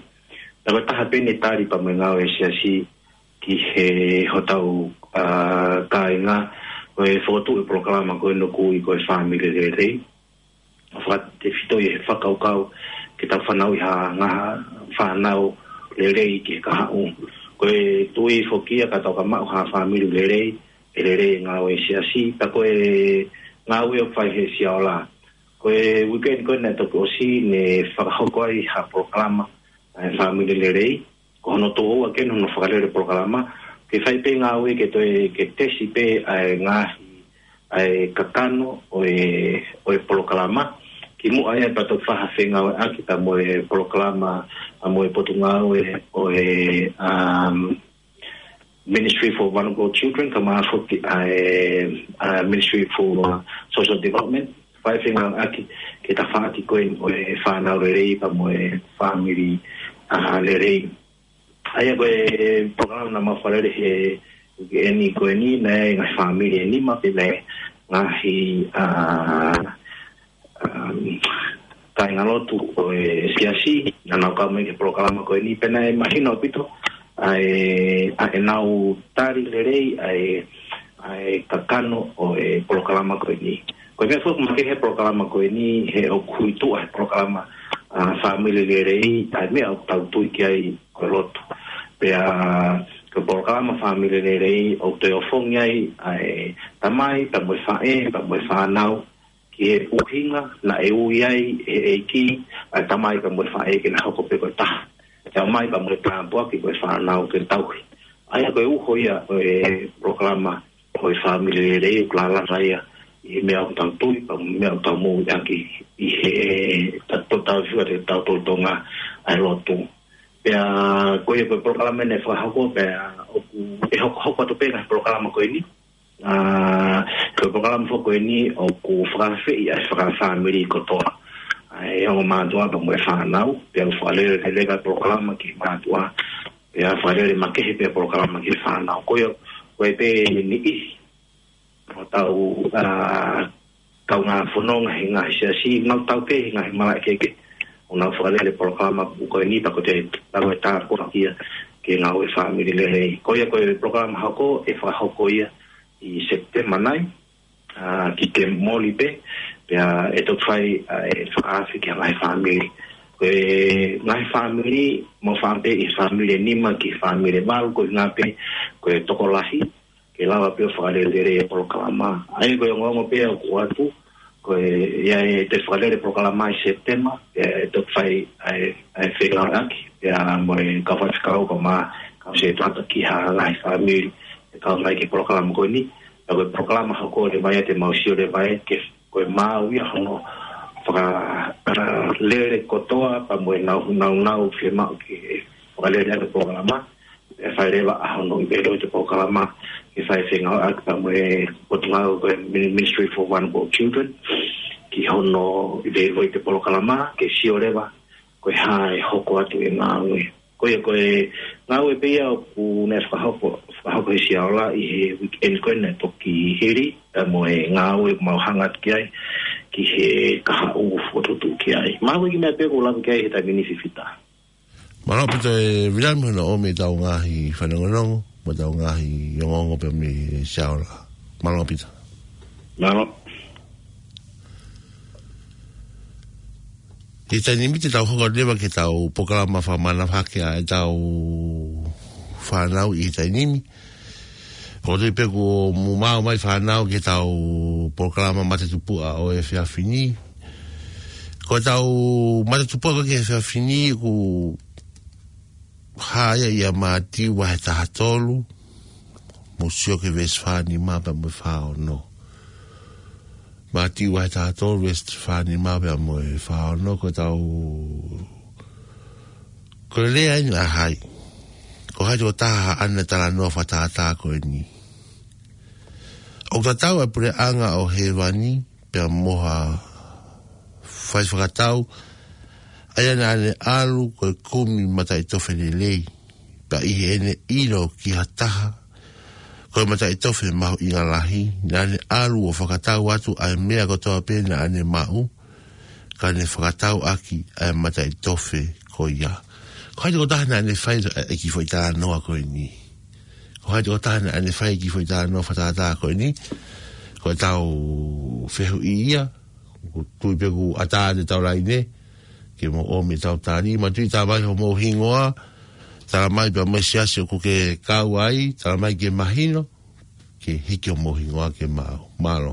Pea ko e taha pē eni e tali pea mo e ngāue ʻa e Siasi ki he hotau, ʻa, kāinga, ko e fokotuʻu e polokalama ko eni ʻoku ui ko e Fāmili Lelei. Fakatefito ia he fakakaukau ke tau fanauʻi ha ngaahi fānau lelei ki he kahaʻu. Ko e tui foki ia ka tau ka maʻu ha fāmili lelei, ʻe lelei e ngāue ʻa e Siasi, pea ko e ngāue ʻoku fai he Siaola. Ko e uike ko eni naʻe toki ʻosi ne fakahoko ai ha polokalama ʻa e Fāmili Lelei, ko hono toʻua ko eni hono fakalele polokalama, ke fai pē ngāue ke toe, ke tesi pē ʻa e ngaahi, ʻa e kakano ʻo e, ʻo e polokalama, kimuʻa ia pea toki fai ha fengāueʻaki pea mo e polokalama, ʻa mo e potungāue ʻo e, um, Ministry for Vulnerable Children, kae ʻumaʻā foki ʻa e, ʻa e Ministry for, uh, Social Development, fai fengāueʻaki ki he tafaʻaki ko eni ʻo e fānau lelei pea mo e fāmili, ʻa, lelei. ʻA ia ko e polokalama naʻa mau fakalele he uike ko eni, naʻe ngaahi fāmili ʻe nima pea mo e ngaahi, ʻa, um, kāingalotu ʻo e Siasi, naʻa nau kau mai ki he polokalama ko eni, pea naʻe mahino ʻaupito ʻa e, ʻa ʻenau tali lelei ʻa e, ʻa e kakano ʻo e polokalama ko eni. Ko e meʻa foki ʻoku makehe he polokalama ko eni, he ʻoku ʻi tuʻa he polokalama, ʻa, Fāmili Lelei, ʻa e meʻa ʻoku tau tui ki ai ko e lotu. Pea ko e polokalama Fāmili Lelei ʻoku toe ofongi ai ʻa e tamai, pea mo e faʻē, pea mo e fānau, ki he ʻuhinga naʻe ui ai ʻe he ʻEiki ʻa e tamai pea mo e faʻē ke na hoko pē ko e taha, pea mo e tamai pea mo e tāpuaki ko e fānau ke tauhi. ʻA ia ko e uho ia ʻo e polokalama ko e Fāmili Lelei, ʻoku lālanga ia ʻi he meʻa ʻoku tau tui, pea mo e meʻa ʻoku tau moʻui ʻaki ʻi he ta-, to-, tau fiu ʻa e tau tolotonga ʻa e lotu. Pea ko ia ko e polokalama naʻe fakahoko, pea ʻoku, ʻe hokohoko atu pē ngaahi polokalama ko eni. ʻA, ko e polokalama foki ko eni ʻoku fakaafeʻi ʻa e fakafāmili kotoa. ʻA e ongo mātuʻa pea mo e fānau, pea ʻoku fakalele lelei e polokalama ki he mātuʻa, pea fakalele makehe pē polokalama ki he fānau. Ko ia, ko e pē niʻihi ʻo hotau, ʻa, kaungā fononga he ngaahi Siasi, nau tau pē he ngaahi malaʻe kehekehe, ʻo nau fakalele polokalama ko eni, pea ko e tau e tāpuaki ia ki he ngāue Fāmili Lelei. Ko ia ko e polokalama hoko, ʻe fakahoko ia ʻi Sepitema nai, ʻa, ki he moli pē, pea ʻe toki fai, ʻa, e fakaafe ki he ngaahi fāmili. Ko e ngaahi fāmili, mau fai pē ʻi he fāmili ʻe nima ki he fāmili ʻe valu, ko e ngaahi pē, ko e tokolahi, ke lava pē ʻo fakalele e polokalama. ʻA ia ko e ongoongo pē ʻoku ʻoatu, ko e, ʻi ai e toe fakalele polokalama ʻi Sepitema, ʻe, ʻe toki fai ʻa e, ʻa e fengāueʻaki, pea mo e kau faifekau pea mo e kau setuata ki ha ngaahi fāmili ʻe kau mai ki he polokalama ko eni. Pea ko e polokalama hoko leva ia te mau sio leva ia ke ko e maʻu ia hono fakalele kotoa pea mo e nau, nau, nau fiemaʻu ke fakalele ʻaki e polokalama. ʻE fai leva ʻa hono ʻiveivei e polokalama, ke fai fengāueʻaki pea mo e potungāue ko e Min-, Ministry for Vulnerable Children, ki hono ʻiveivei e polokalama, ke sio leva ko e hā e hoko atu e ngāue. Ko ia ko e ngāue pē ia ʻoku ne fakahoko, fakahoko he Siaola ʻi he uike ko eni naʻe toki hili, pea mo e ngāue ʻoku mau hanga atu ki ai, ki he kahaʻu fokotuʻutuʻu ki ai. Mahalo ko e kiʻi meʻa pē ʻoku ou lave ki ai he taimi ni Fifita. Mālō ʻaupito e Viliami hono ʻomi e tau ngaahi fanongonongo, mo e tau ngaahi ongoongo pea mei he Siaola. Mālō ʻaupito. Mālō. ʻI he taimi ni te tau hoko leva ki heʻetau polokalama fakamanavahake ʻa ʻetau fānau ʻi he taimi ni. Ko te pe ko mumau mai fānau ki heʻetau polokalama matatupuʻa ʻo e efiafi ni. Ko ʻetau matatupuʻa ko ē ki he efiafi ni ʻoku hā ia ʻia Mātiu vahe taha tolu, mou sio ki he veesi fā nima pea mo e fā ono. Mātiu vahe taha tolu, veesi fā nima pea mo e fā ono, ko ʻetau, ko e lea eni ʻa hai. Ko hai tokotaha ʻoku ne talanoa fakatātā ko eni. ʻOku tatau ʻa e puleʻanga ʻo hēvani, pea mo ha faifakatau, ʻa ia naʻa ne ʻalu ko e kumi mataʻitofe lelei, pea ʻi heʻene ʻilo ki ha taha ko e mataʻitofe mahuʻinga lahi, naʻa ne ʻalu ʻo fakatau atu ʻa e meʻa kotoa pē naʻa ne maʻu, ka ne fakatau ʻaki ʻa e mataʻitofe ko ia. Ko hai tokotaha naʻa ne fai ʻa e kiʻi foʻi talanoa ko eni? Ko hai tokotaha naʻa ne fai e kiʻi foʻi talanoa fakatātā ko eni? Ko ʻetau fehuʻi ia, ʻoku tui pē ʻoku ʻatā atu ʻetau laine, ke mou ʻomi ʻetau tali, manatuʻi tala mai homou hingoa, tala mai pea mo e siasi ʻoku ke kau ai, tala mai ke mahino, ke hiki homou hingoa ke maʻu. Mālō.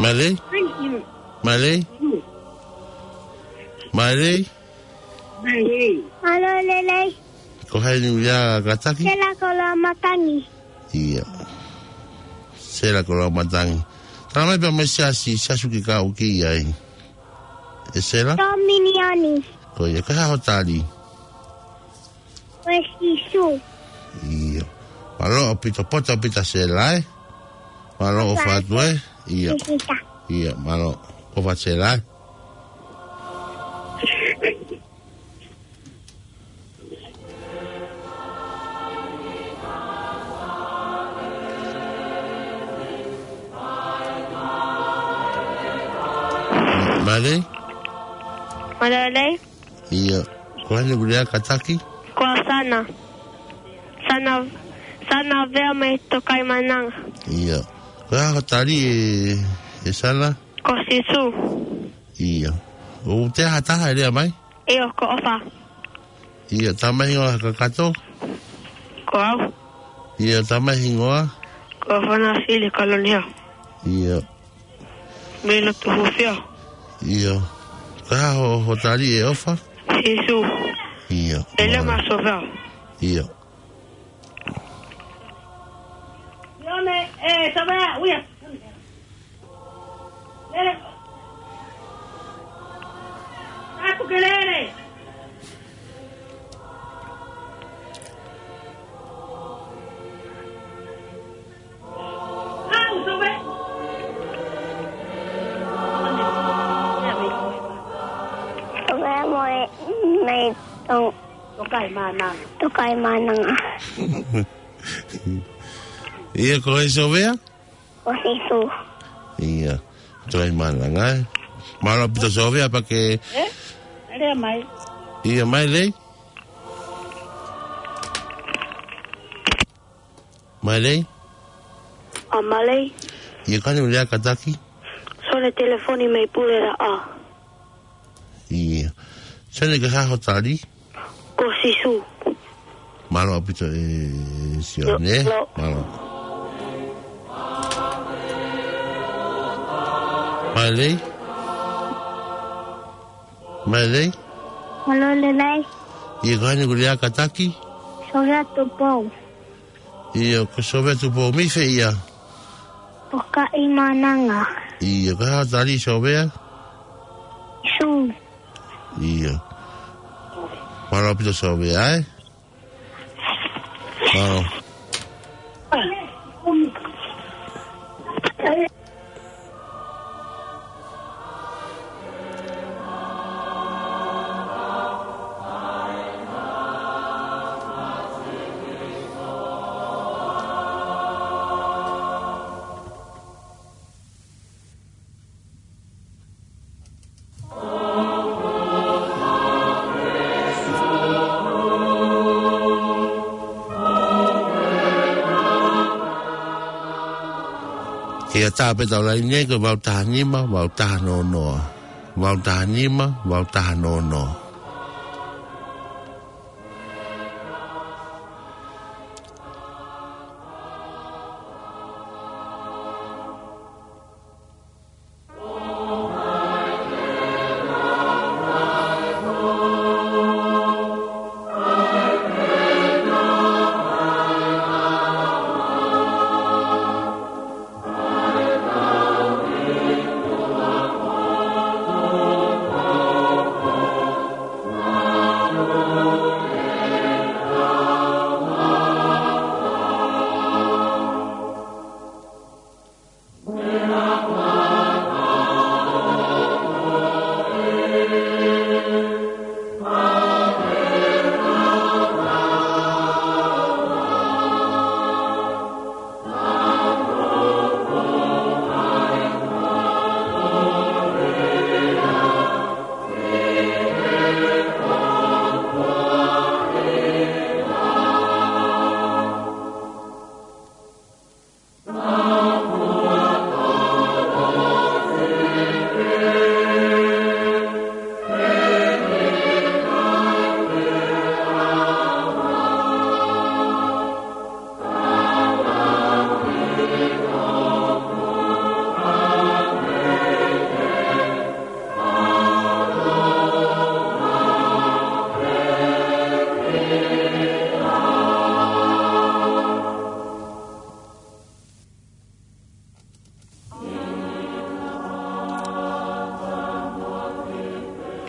Mālō. Mālō. Mālō. Mālō lelei. Ko hai ʻoku ne kātaki? Sela Koloamatangi. ʻIo. Sela Koloamatangi. Tala mai pea mo e siasi, siasi ʻoku ke kau ki ai. ʻE Sela? Tōminiani. Ko ia, ko e hā hoʻo tali? Ko Sīsū. ʻIo. Mālō ʻaupito, poto ʻaupito Sela, ē? Mālō ʻofa atu, ē? ʻIo. Sisita. ʻIo, mālō ʻofa Sela, ē? Mālō. Mālō lelei. ʻIo. Ko hai ʻoku ne kātaki? Ko Sana. Sana, Sana Vea mei Tokaimaʻananga. ʻIo. Ko e hā hoʻo tali ʻe, ʻe Sana? Ko Sīsū. ʻIo. ʻOku toe ʻi ai ha taha ʻe lea mai? ʻIo, ko ʻOfa. ʻIo, tala mai hingoa kakato? Ko au. ʻIo, tala mai hingoa? Ko Fana Fili Kalonio. ʻIo. Mei Lotuhufio. ʻIo. Ko e hā hoʻo, hoʻo tali ʻe ʻOfa? Sīsū. ʻIo. Ele mālō. Masoveo. ʻIo. ʻIo me, e, Sovea, uia. Lele. Aku ke lele. Sovea mo e mei Tong-, Tokaimaʻananga. Tokaimaʻananga. ʻIo, ko e Sovea? Ko Sīsū. ʻIo. Tokaimaʻananga, ē? Mālō ʻaupito Sovea pea ke. Ē? Lea mai. ʻIo, mālō lelei. Mālō lelei. ʻA mālō lelei. ʻIo, ko hai ʻoku ne kātaki? Sole Telefoni mei Pulelaʻa. ʻIo. Sole, ko e hā hoʻo tali? Ko Sīsū. Mālō ʻaupito ē Sione. Mālō. Mālō. Mālō lelei. Mālō lelei. Mālō lelei. ʻIo, ko hai ʻoku ne kātaki? Sovea Tupou. ʻIo, ko Sovea Tupou mei fē ia? Tokaimaʻananga. ʻIo, ko e hā hoʻo tali Sovea? Sīsū. ʻIo. Mālō ʻaupito Sovea, ē? Mālō. ʻIo, tā pē ʻetau laine ko e valu taha nima, valu taha noa noa. Valu taha nima, valu taha noa noa.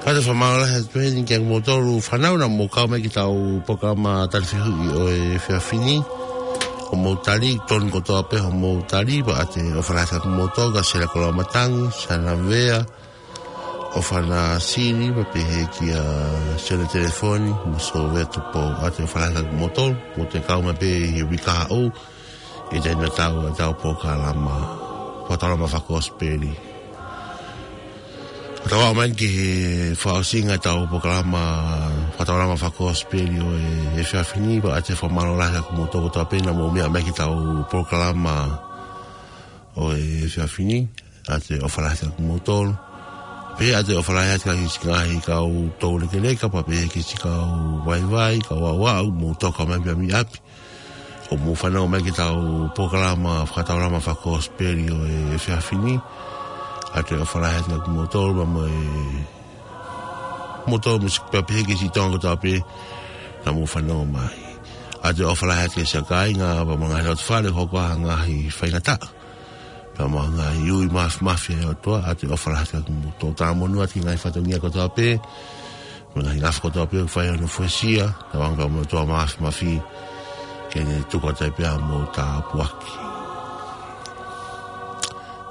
Kātaki fakamālō lahi atu heni kia kimoutolu fānau naʻa mou kau mai ki heʻetau polokalama tali fehuʻi ʻo e efiafi ni. Hoʻomou tali, tonu kotoa pē hoʻomou tali, pea ʻoatu e ʻofa lahi atu kia kimoutolu, kia Sela Koloamatangi, Sana Vea, ʻOfana Sili, pea pehē kia Sione Telefoni, mo Sovea Tupou, ʻoatu e ʻofa lahi atu kia kimoutolu, mou toe kau mai pē ʻi he uike kahaʻu, ʻi he taimi tatau ʻetau polokalama fakataulama fakakosipeli. Ko ʻetau aʻu mai ki he fakaʻosinga ʻetau polokalama fakataulama fakakosipeli ʻo e efiafi ni, pea ʻoatu e fakamālō lahi atu kia kimoutolu kotoa pē naʻa mou meʻa mai ki heʻetau polokalama ʻo e efiafi ni, ʻoatu e ʻofa lahi atu kia kimoutolu. Pea ʻoatu e ʻofa lahi atu ki he siʻi ngaahi kau toulekeleka, pea pehē ki he siʻi kau vaivai, kau aʻuaʻu, mou toka mai pē mei ʻapi ʻo mou fanongo mai ki heʻetau polokalama fakataulama fakakosipeli ʻo e efiafi ni. ʻOatu e ʻofa lahi atu kia kimoutolu, pea mo e, kimoutolu mo e siʻi, pea pehē ki he siʻi Tonga kotoa pē naʻa mou fanongo mai. ʻOatu e ʻofa lahi atu ki he siʻi kāinga, pea mo e ngaahi loto fale, hoko ʻa e ngaahi faingataʻa, pea mo e ngaahi ui māfimafi ʻa e ʻOtua. ʻOatu e ʻofa lahi atu kia kimoutolu. Talamonū atu ki he ngaahi fatongia kotoa pē, mo e ngaahi ngafa kotoa pē ʻoku fai hono fuesia, tauange pea mo e ʻOtua Māfimafi ke ne tuku atu ai pē ʻa hoʻomou tāpuaki.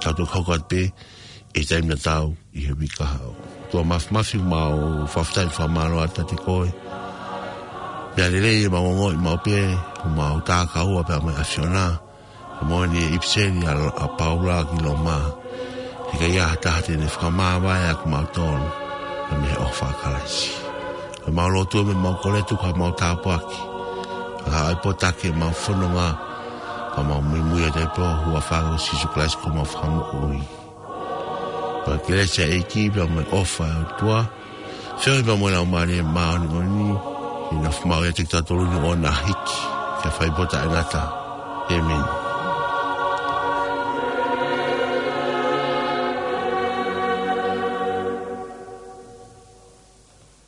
Tau toki hoko atu pē ʻi he taimi tatau ʻi he uike kahaʻu. ʻOtua Māfimafi, ʻoku mau fakafetaʻi mo fakamālō atu kiate koe. Meʻa lelei ʻemau ongoʻi maʻu pē, ʻoku mau takaua pē mo e ʻAfiona. Ko e moʻoni e ʻipiseli ʻa, ʻa Paula ki Loma: He ʻikai ha taha te ne fakamāvae ʻa kimautolu, ka mei he ʻofa ʻa Kalaisi. Ko ʻemau lotu mo ʻemau kole, tuku haʻamau tāpuaki, kae ʻai potaki ʻemau fononga, ka mau muimui atu ai pē ʻi he huafa ʻo Sīsū Kalaisi ko homau Fakamoʻui. Pea ko e kelesi ʻa e ʻEiki pea mo e ʻofa ʻa e ʻOtua, feohi pea mo e Laumālie Māʻoniʻoni, ke nofo maʻu ʻiate kitautolu ni ʻo na hiki, ke fai pē ʻo taʻengata. ʻĒmeni.